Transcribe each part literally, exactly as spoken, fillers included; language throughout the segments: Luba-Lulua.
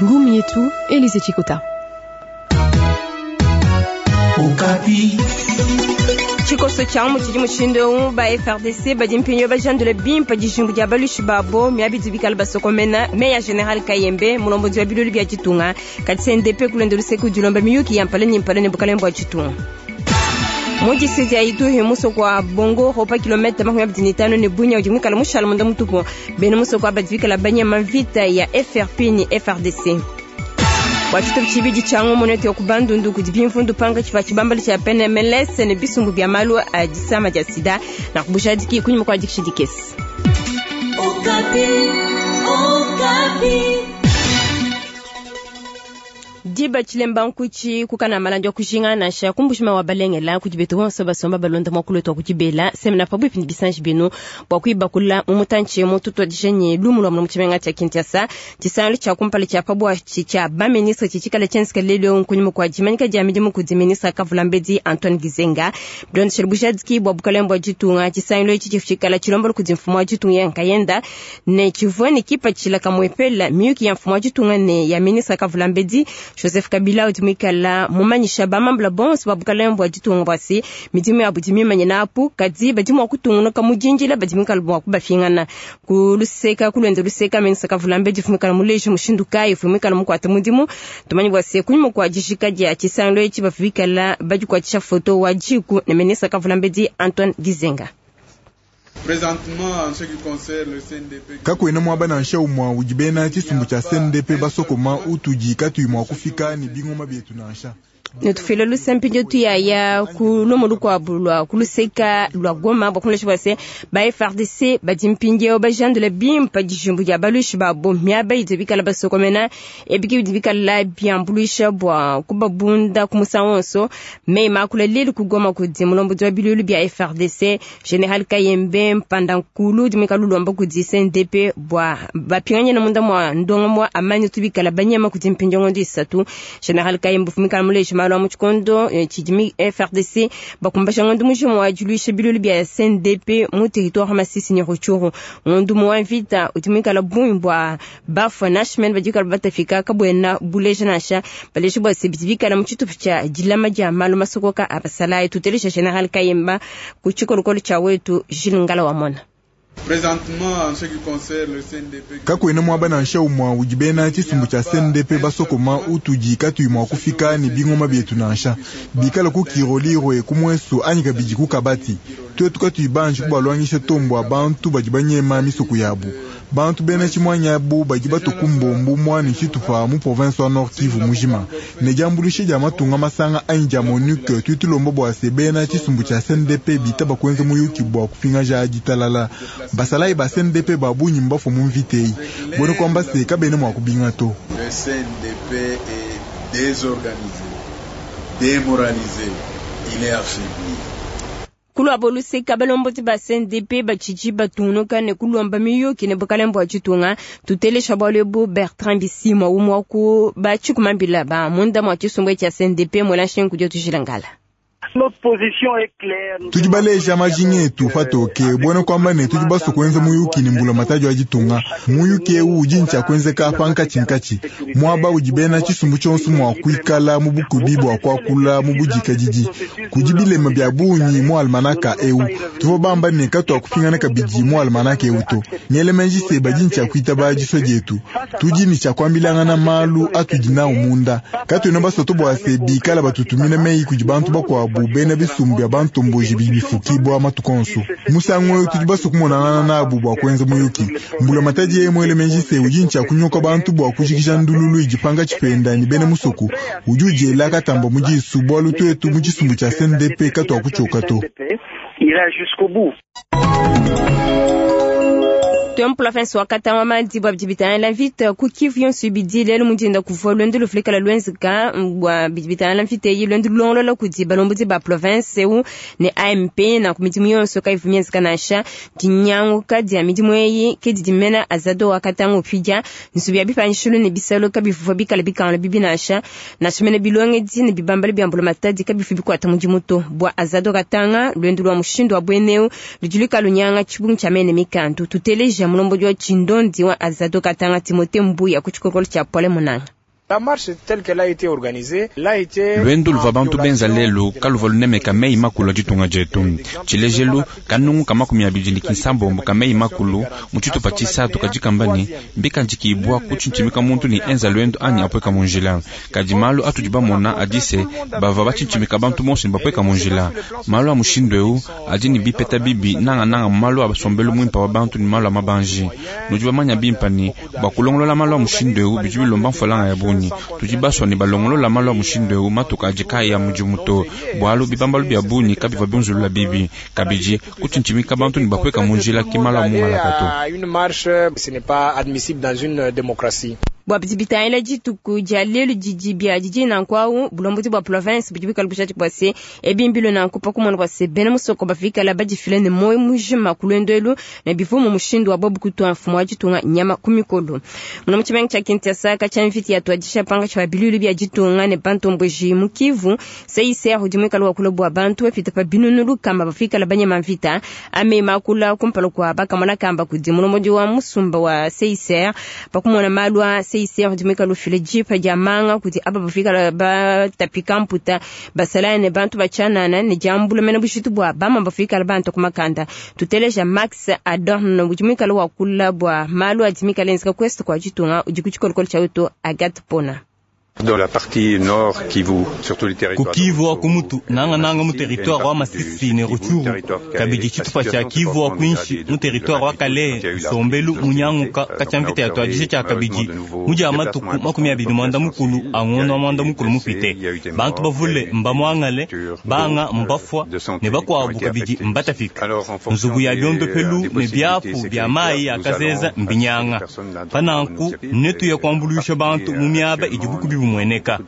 Ngumu yetu Elise Chikota. Tshikoso tshia mu tshidi mushindu eu ba F R D C badi mpinyo bajandula bimpa dijimbu dia balushi babo miabidi bikala basokomena meya general Kayembe mulombozi wa bilulu bya ditunga kati C N D P kulenda luseke dilomba miyuki ya mpale ni mpale ne bukalembo wa ditunga. Mu district ya Ituri musoko wa Bongo ropa kilomita makumi abiri na itanu ne Bunia udi mwikala mushala munda mutupu bena musoko wa badi bikala banyama vita ya F R P ni F R D C. Wachito chibidi changu monete ya kubandundu kudibimfundu panga chifa chibambali cha P N M L S ne bisumbu bya malu a disama dia sida na kubushadiki kunyuma kwa dikishidikesi. Okapi, Okapi. Diba chilemba nkuchi kukana malandi kushinga na sha kumbushima wa balengela kujibetu wonso basomba balonda mwakulo twa kujibela semna pabu pindi bisanji binu bwa kuiba kula mumutanchi mututo dijenye lumu lwa mumuchimenga cha Kinshasa tisanlu cha kumpala cha pabu cha ba ministre chichikala chenska lelo nkunyuma kwa jimanyika ja midimu kudi ministre Kavulambedi Antoine Gizenga Don Shelbujadki bwa bukalembo jitunga tisanlu ichi chichikala chilombo kudi mfumo wa jitunga yankayenda ne chivweni kipa chila kamwepela miyuki ya mfumo wa jitunga ne ya ministre Kavulambedi Joseph Kabila utumikala mumanyisha bamambula bonso babukalembo ajitunga bwasi midimu ya budimi manyina apu kadi badimu akutunga kamujinjila badimu kalbo akubafingana kuluseka kulwenda luseka mensa Kavulambe jifumikala mulejo mushindu kai fumikala mukwata mudimu tumanyi bwasi kunyuma kwa jishika dia chisanlo echi bafikala bajikwatisha foto wa jiku ne mensa Kavulambe di Antoine Gizenga. Présentement, en ce qui concerne le C N D P, kakwena mwaba na nsha umwa ujibena chisumbu cha C N D P basokoma utuji katu imwa kufika ni bingoma byetu na nsha. Netufile lusempi ndio tu ya ya kulomo lukwa bulwa kuluseka lwa Goma bakunlesha bwase ba F R D C badimpinge bajandule bimpa dijumbu ya balushi babo miaba idibikala basokomena ebiki idibikala byambulisha bwa kubabunda kumusanso me makula lelu kugoma kudi mulombo dwa bilulu bya F R D C General Kayembe mpanda nkulu dimikalu lomba kudi C N D P bwa bapinganye na munda mwa ndongo mwa amani tubikala banyama kudi mpinjongo ndisatu General Kayembe fumikala mulesha malo muchikondo chidimi F R D C bakumbasha ngondu mujimu wa juluisha bilulu bya C N D P mu territoire Masisi ni Rutshuru ngondu mu vita utumika la bumbwa bafa nashmen badika batafika kabwena buleja nasha baleje bwa sibibika na muchitu cha jilama ja malo masokoka abasala tutelesha General Kayemba kuchikolokolo cha wetu Jilingala wa mona. Présentement, en ce qui concerne le C N D P, kakwena mwaba na nsha umwa ujibena chisumbu cha C N D P basokoma utuji katu imwa kufika ni bingoma byetu na nsha bikala ku kiroliro kumweso anyika biji kukabati twetu katu ibanji kubalwangisha tombo abantu bajibanyema misuku yabu bantu bena chimwanya bu bajiba tukumbombu mwani chitufa mu province wa Nord Kivu mujima ne jambulishe ja matunga masanga anja MONUC tutulombo bwa sebena chisumbu cha C N D P bitaba kwenze muyuki bwa kufinga ja jitalala basalai ba C N D P babunyi mbafo mu mvitei bono kwamba se kabene mwa kubinga to. Le C N D P est désorganisé, démoralisé, il est affaibli. Kulwa boluseka balomboti ba C N D P bachichi batunuka ne kulomba miyuki ne bukalembo achitunga tutelesha bwalebo Bertrand Bisimwa umwa ku bachikumambila ba munda mwa chisumbu cha C N D P mwelashe kujo tushilangala. Notre position est claire. Tujibaleja majinge tu fatoke bwana kwamba ne tujibaso kwenza muyuki ni mbula matajo ajitunga muyuki eu ujincha kwenze ka panka chinkachi mwaba ujibena chisumbu chonsu mwa kuikala mubukubi bwa kwakula mubujika jiji kujibile mabya bunyi mu almanaka eu tuvo bamba ne katu akufingana kabiji mu almanaka eu to nyele menji se bajincha kuita bajiso jetu tujini cha kwambilanga na malu atujina umunda katu ino baso tobwa se bikala batutumina meyi kujibantu bakwa bubena bisumbu ya bantomboji bibifukibwa matukonso musango tujibaso kumonana nabu bwa kwenza muyuki mbula mataji ye mwele menji se ujincha kunyoka bantu bwa kujikisha ndululu ijipanga chipenda ni bene musuku ujuje laka tamba mujisu bwa lutwetu mujisumbu cha C N D P katu akuchoka to ira jusqu'au bout. Templo afenso wakata wa madibu abjibitana la vita kukivu yonso bidi lelo mudinda kuvua lwendo lufulika la lwenzika bwa bijibitana la vita yi lwendo longolo la kudiba lombudi ba province u ne A M P na kumidimu yonso ka ivumienzika nasha dinyangu kadi ya midimu eyi kedi dimena azado wakata ngupija nsubi abipanshulu ne bisalo kabivuvua bikala bikala bibi nasha nashimene bilonge di ne bibambale byambulo matadi kabifu bikwata mudimu to bwa azado katanga lwendo lwa mushindo wa bweneu ludulika lunyanga chibungu chamene mikandu tuteleja dia mulombodi wa tshindondi wa Azado Katanga Timothée Mbuya ku tshikolokolo tshia Pole Munanga. La marche telle qu'elle a été organisée, l'a été lwendo luva bantu benza lelu kaluva lunemeka meyi makulu a ditunga dietu. Tshilejelu kanungu ka makumi abidi ne kinsambombo ka meyi makulu mu tshitupa tshisatu kadi kamba ne mbikandikibwa kutshintshimika muntu ne enza lwendo anyi apweka mu njila. Kadi malu atudi bamona adi se bava batshintshimika bantu bonso ne bapweka mu njila. Malu a mushindu eu adi ne bipeta bibi nangananga mu malu a basombelu muimpa wa bantu ne malu a mabanji. Nudi bamanya bimpa ne bua kulongolola malu a mushindu eu bidi bilomba mfalanga ya bungi. Tudi baswa ne balongolola malu a mushindu eu matuka adi kayi a mudimu to, bualu bibambalu bia bungi kabiva biunzulula bibi. Kabidi kutshintshimika bantu ne bapweka mu njila ke malu a mungalaka to. Une marche, ce n'est pas admissible dans une démocratie. Bua bidi bitangila dituku dia lelu didi bia didi nanku awu bulombodi bua province budi bikala bushati bua se ebimbilu nanku pa kumona bua se bena musoko bafikala badifile ne moyo mujima ku lwendo elu ne bivua mu mushindu wa bobu kutua mfumu wa ditunga nyama ku mikolo. Muna mu tshimenga tshia Kinshasa katshia mvita ya tuadisha panga tshia bilulu bia ditunga ne bantomboji mu Kivu C I C R udi muikale wakula bua bantu bapita pa binunu lukama bafikala banyema mvita amema akula kumpala kua bakamona kamba kudi mulombodi wa musumba wa C I C R pa kumona malu a C I C R udi muikale ufila jipa dia manga kudi aba bafikala batapika mputa basalane ne bantu batshanana ne diambula mena bushitu bua bama bafikala bantu ku makanda. Tuteleja Max Adorno udi muikale wakula bua malu adi mikale enzeka kwest kua ditunga udi ku tshikolokolo tshia wetu Agathe Pona. Dans la partie nord Kivu, surtout les territoires. Ku Kivu wa kumutu nanga nanga mu territoire wa Masisi ne Rutshuru, kabidi tshitupa tshia Kivu wa kwinshi mu territoire wa Kalehe, Sombelu munyanguka katshia mvita ya tuadisha tshia kabidi mudia matuku makumi abidi mwanda mukulu angono wa mwanda mukulu mupite. Bantu bavule mbamwangale banga mbafwa ne bakwabu kabidi mbatafika. Nzubu ya biondo pelu ne biapu bia mayi ya kazeza mbinyanga. Pananku netu ya kuambuluisha bantu mu miaba idi bukubi bumueneka.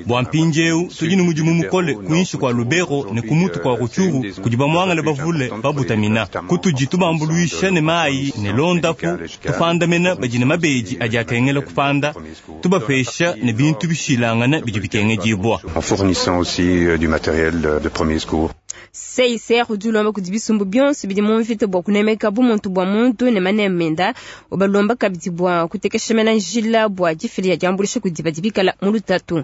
Bua mpindieu tudi ne mudimu mukole kuinshi kua Lubero ne kumutu kua Rutshuru kudi bamwangale bavule babutamina. Kutudi tubambuluisha ne mayi ne londapu tupandamena badi ne mabedi adi akengela kupanda tubapesha ne bintu bishilangana bidi bikengedibwa. En fournissant aussi du matériel de premier secours. C I C R udi ulomba kudi bisumbu bionso bidi mu mvita bua kunemeka bumuntu bua muntu ne manemenda ubalomba kabidi bua kutekesha mena njila bua difila dia diambuluisha kudi badi bikala mu lutatu.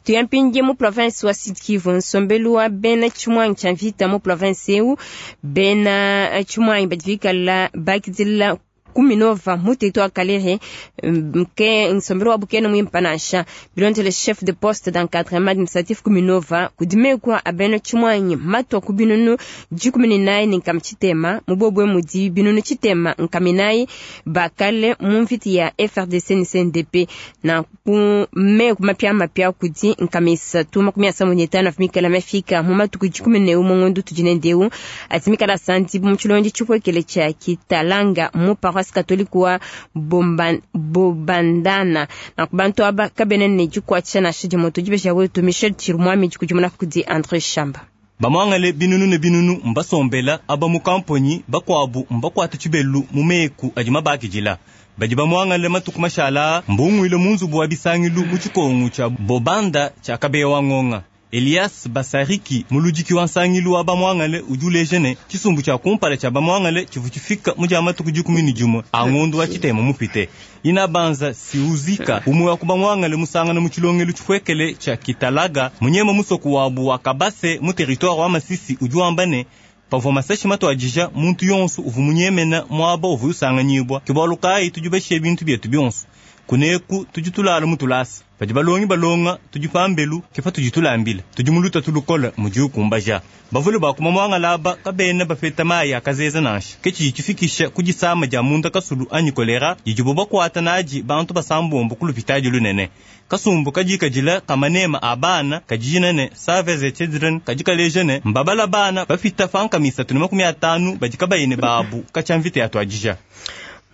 Tuyampinge mu province wa Sud Kivu nsombelu wa bena tshimwangi tshia mvita mu province eu bena tshimwangi badi bikala bakidila kuminova mu territoire Kalehe mke nsombelu wa bukene muimpa nansha bilondele chef de poste d'encadrement administratif kuminova kudimekwa abeno tshimwanyi matwa ku binunu dikumi ne nayi ne nkama tshitema mubobwe mudi binunu tshitema nkama inayi bakale mu mvita ya F R D C ne C N D P na ku meku mapia mapia kudi nkama isatu makumi asanu ne tano afimikala mafika mu matuku dikumi ne umwe ngondo tudi ne ndeu atimikala santi mu tshilonji tshipwekele tshia Kitalanga mu paroisse catholique wa Bomban, Bobandana na kubantu aba kabene ne dikwatsha na shidi moto dibesha wetu Michel Chirumwami dikujumuna kudi André Shamba. Bamwangale binunu ne binunu mbasombela aba mu kamponyi bakwabu mbakwata tshibelu mu meku adi mabakidila. Badi bamwangale matuku mashala mbungwile mu nzubu wa bisangilu mu tshikongu tshia Bobanda tshia Kabeya wa Ngonga. Elias Basariki muludiki wa nsangilu wa bamwangale udi uleja ne tshisumbu tshia kumpala tshia bamwangale tshivu tshifika mu dia matuku dikumi ne dimue a ngondo wa tshitema mupite. Ina banza siuzika umwe wa kubamwangale musangana mu tshilongelu tshipuekele tshia Kitalaga munyema musoku wabu wa Kabase mu territoire wa Masisi udi wamba ne pavua masashi matuadija muntu yonso uvu munyemena muaba uvu usanganyibwa kibalu kayi tudi bashiye bintu bietu bionso kuneku tudi tulala mutulasa padi balongi balonga tudi pambelu kepa tudi tulambila tudi muluta tulukola mudi ukumbaja bavule bakuma mwangala kabena bapeta mayi akazeza nansha ke tshidi tshifikisha kudisama dia munda kasulu anyi kolera didibo bakwata nadi bantu basambombo ku lupitadi lunene kasumbu kadikadila kamanema a bana kadijina ne Save the Children kadikaleja ne mbabala bana bafita fanka misatu ne makumi atanu badi kabayine babu katshia mvita ya tuadija.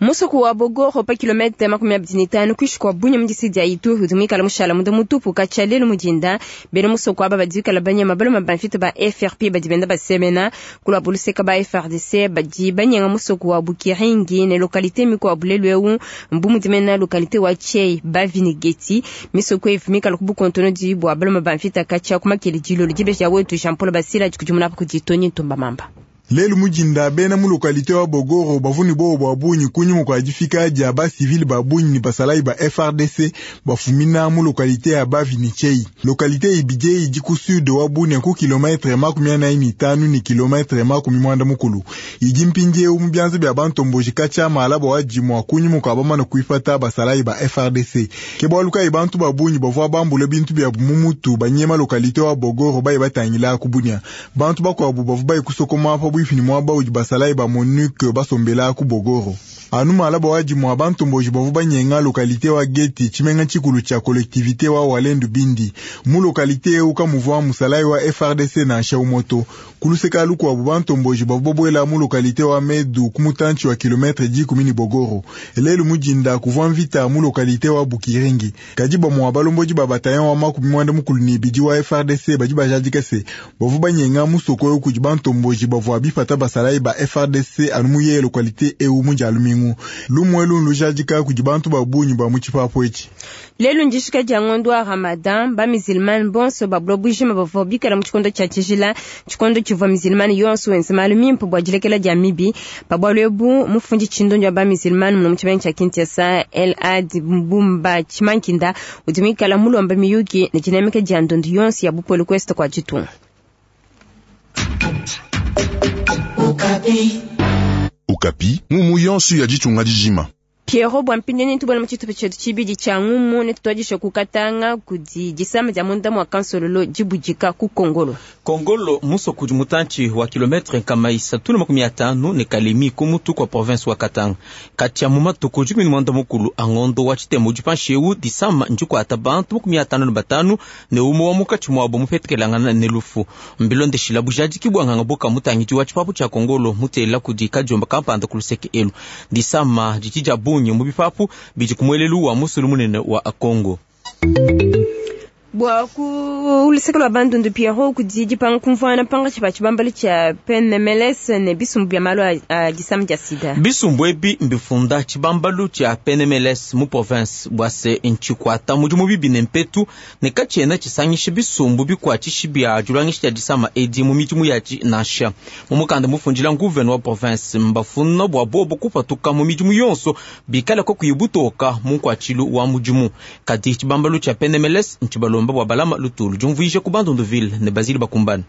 Musuku wa Bogoro pa kilomita makumi abidi ne tano kuishi kwa Bunya mu distrikiti ya Ituri udi muikale mushala munda mutupu katshia lelu mudinda bena musuku aba badi bikala banyema baluma ba mvita ba F R P badi benda basemena kulua buluseka ba F R D C badi banyenga musuku wa Bukiringi ne lokalite mikuabu lelu eu mbu mudimena lokalite wa Chei Bavinigeti misuku evi mikala ku bukontono di bua baluma ba mvita katshia ku makele dilolo dibeja wetu Jean Paul Basila dikudimuna kudi Tony Ntumba Mamba. Lelu mujinda bena mu localité wa Bogoro bavuni bo bwa bunyi kunyuma kwa difika dia ba civil ba bunyi ni basalayi ba F R D C bafumina mu localité ya Bavinichei. Localité ibije idi ku sud wa Bunia ku kilometre makumi anayi ni tanu ni kilometre makumi mwanda mukulu. Idi mpindiewu mu byanza bya bantomboji kacha malabo wa jimwa kunyuma kwa bamana kuifata basalayi ba F R D C. Ke bwaluka ibantu ba bunyi bavwa bambule bintu bya mumutu banyema localité wa Bogoro bayi batangila ku Bunia. Bantu bakwabu bavu bayi kusokoma pa bwifi ni mwaba udi basalayi ba MONUC basombela ku Bogoro. Anu malaba waji mwa bantomboji bavu banyenga localité wa Geti chimenga chikulu cha collectivité wa Walendu Bindi. Mu localité uka muvwa musalayi wa F R D C na Shaumoto. Kuluseka luku wa bantomboji bavu bobwela mu localité wa Medu kumutanchi wa kilometre dikumi ni Bogoro. Elelu mujinda kuvwa mvita mu localité wa Bukiringi. Kajiba mwa balomboji ba bataillon wa makumi mwanda mukulu ni bidi wa F R D C baji bajadika se. Bavu banyenga musoko yoku bantomboji bavu abifata basalayi ba F R D C anu muye localité eu mujalumingu. Lumwelu lujadika kudi bantu ba bunyi ba muchipapo echi. Lelu njishika dia ngondo wa Ramadan ba musulman bonso ba blobujima bavua bikala mu tshikondo tshia tshijila tshikondo tshivua musulman yonso wenza malu mimpe bua dilekela dia mibi pa bualu ebu mufundi tshindondo ya ba musulman muno mu tshimenga tshia Kinshasa El Ad Mbumba Tshimankinda udi muikala mulomba miyuki ne dinamika dia ndondo yonso ya bupole kwesta kwa ditunga. Okapi. Okapi, mumu yonso ya ditunga dijima. Pierrot bwampindeni tubona muchitupa chetu chibidi cha ngumu ne tutwadisha kukatanga kudi disama dia munda mwa kansololo dibujika ku Kongolo. Kongolo muso kudi mutanchi wa kilometre nkama isatu na makumi atanu ne Kalemi kumutu kwa province wa Katanga. Kati ya mumatuku dikumi ni mwanda mukulu angondo wa chitemo dipansheu disama njikwata bantu makumi atanu na batanu ne umo wa mukachi mwabo mupetekelangana ne lufu. Mbilondeshila bujadiki bwanganga boka mutangidi wa chipapu cha Kongolo mutela kudi kajomba kampanda kuluseke elu. Disama dikija bunyi mu bipapu bidi kumwelelu wa musulu munene wa Kongo. Bwa ku lusekelo lwa bandundu Pierrot kudi dipanga kumvwana panga tshiba tshibambalo tshia P N M L S ne bisumbu bya malu a disama dia sida. Bisumbu ebi mbifunda tshibambalu tshia P N M L S mu province bwa se ntshikwata mudimu bibi ne mpetu ne katshiena tshisangisha bisumbu bikuatshishi bia diluangisha dia disama edi mu midimu yatshi nansha. Mu mukanda mufundila nguvene wa province mbafuna bua bobo kupatuka mu midimu yonso bikala kokuyi butoka mu nkuatshilu wa mudimu. Kadi tshibambalu tshia P N M L S ntshibalo mba bwa balama lutulu jumvuisha ku Bandunduville ne Basile Bakumbana.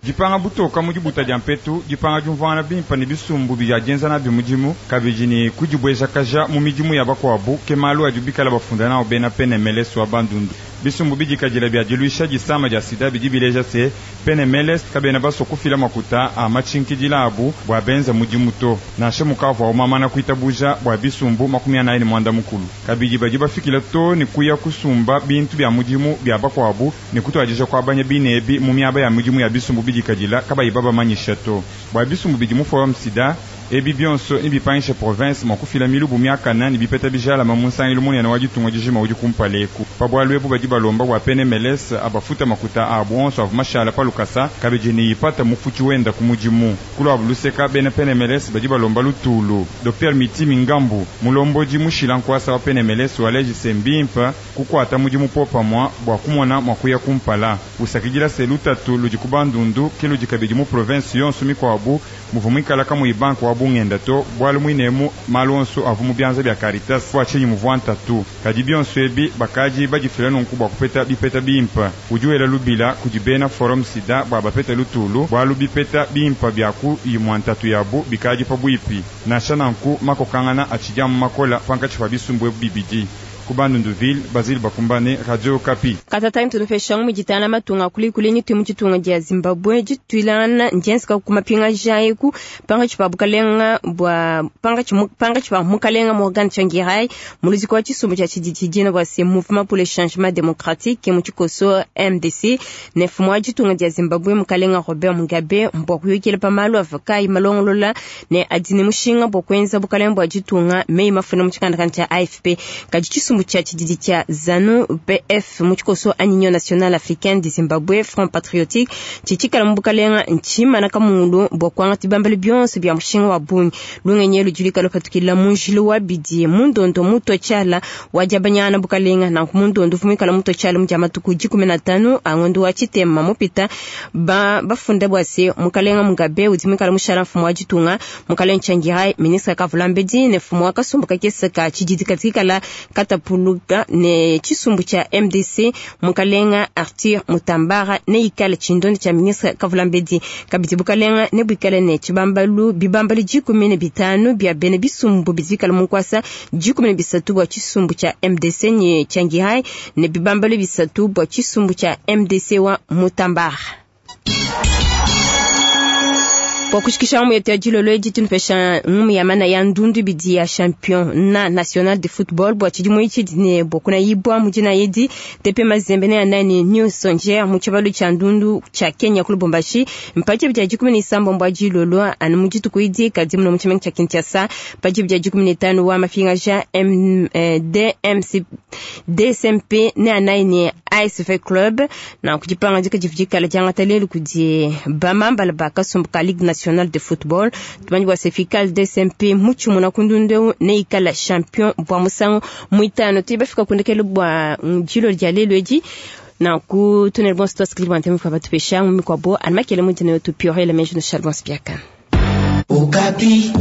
Dipanga butoka mu dibuta dia mpetu dipanga diumvuangana bimpa ne bisumbu bia dienza nabi mudimu kabidi ne kudibwejakaja mu midimu ya bakuabu ke malu adi bikala bafunda nawo bena P N M L S wa Bandundu. Bisumbu bidikadila bia diluisha disama dia sida bidi bileja se P N M L S kabena baso kufila makuta a matshinkidila abu bua benza mudimu to nansha mukavua umamana kuitabuja bua bisumbu makumi anayi ne mwanda mukulu kabidi badi bafikila to ne kuya kusumba bintu bia mudimu bia bakuabu ne kutuadija kuabanya binebi mu miaba ya mudimu ya bisumbu bidikadila kabayi babamanyisha to bua bisumbu bidi mu forum sida ebi bionso ni bipangisha province mwa kufila milubu miakana ni bipeta bijalama mu nsangilu munene wa ditunga dijima udi kumpaleku pa bualu ebu badi balomba bua P N M L S abafuta makuta abu onso avu mashala pa lukasa kabidi ni ipata mufuti wenda ku mudimu kulwabu luseka bena P N M L S badi balomba lutulu Docteur Mitimi Ngambu mulombodi mushila nkwasa wa P N M L S walejise mbimpa kukwata mudimu popa mwa bua kumona mwa kuya kumpala usakidila se lutatu ludi ku Bandundu ke ludi kabidi mu province yonso mikwabu muvu muikala kamuyi banku wa bungenda to bwalu mwinemu malu onso avu mu byanza bya Caritas bwa tshinyi muvua ntatu kadi bionso ebi bakaji badifila nunku bua kupeta bipeta bimpa udi wela lubila kudi bena forum sida bua bapeta lutulu bwalu bipeta bimpa byaku imua ntatu yabu bikaji pabuipi nansha nanku makokangana atshidia mu makola pankatshi pa bisumbu ebu bibidi ku Bandunduville Basile Bakumbane Radio Okapi. Katata ntunufesha mu jitana matunga kuli kuli ni tumu jitunga dia Zimbabwe jitwilana njenska kumapinga jaiku panga chipa bukalenga bwa panga chimu panga chipa mukalenga Morgan Tsvangirai muluzi kwa chisumbu cha chidijina bwa se Mouvement pour le Changement Démocratique mu chikoso M D C ne fumwa jitunga dia Zimbabwe mukalenga Robert Mugabe mbwa kuyukile pamalu avakai malongolola ne adini mushinga bwa kwenza bukalenga bwa jitunga mei mafuna mu chikanda cha A F P kaji chisumbu Tshisumbu tshia tshididi tshia ZANU P F mu tshikoso anyi Union Nationale Africaine de Zimbabwe Front Patriotique tshitshikala mu bukalenga ntshimana kamulu bua kuangata bibambalu bionso bia mushinga wa bungi. Lungenyi ludi lupatukila mu njila wa bidi mu ndondo mutwa tshiala wa diabanyana bukalenga nanku mu ndondo vumikala mutwa tshiala mu dia matuku dikumi na tanu a ngondo wa tshitema mupita ba bafunda bua se mukalenga Mugabe udi muikala mushala mfumu wa ditunga mukalenga Tsvangirai ministre Kavulambedi ne mfumu wa kasumbu kakese ka tshididi katikala katapuluka ne tshisumbu tshia M D C mukalenga Arthur Mutambara ne ikala tshindondo tshia ministre Kavulambedi kabidi bukalenga ne buikale ne tshibambalu bibambalu dikumi ne bitanu bia bene bisumbu bizikala munkwasa dikumi ne bisatu bua tshisumbu tshia M D C ne Tsvangirai ne bibambalu bisatu bua tshisumbu tshia M D C wa Mutambara. Kwa kushikisha mu yetu ya dilolo edi tunupesha ngumu ya mana ya ndundu bidi ya champion na national de football bua tshidimu itshi ne bokuna yibwa mujina yedi T P Mazembe ne anani New Sonje mu tshibalu tshia ndundu tshia Kenya ku Lubumbashi mpaji bya dikumi ne isambombo dilolo anu mu dituku idi kadi muno mu tshimenga tshia Kinshasa mpaji bya dikumi ne tanu wa mafinga ja M D M C D S M P ne anani A S V Club na kujipanga dika jivijikala janga lelu kudi bamambala bakasumbuka Ligue Nationale de Football tumanyi bwa sefikal D S M P muchu muna kundundu ne ikala champion bwa musango muitano tibafika kundekelo bwa jilo lya lelu edi na ku tunel bon stock skribwa ntemu kwa batupesha mu kwa bo anmakele mutene tu piore le menjo no charbon spiaka. Okapi.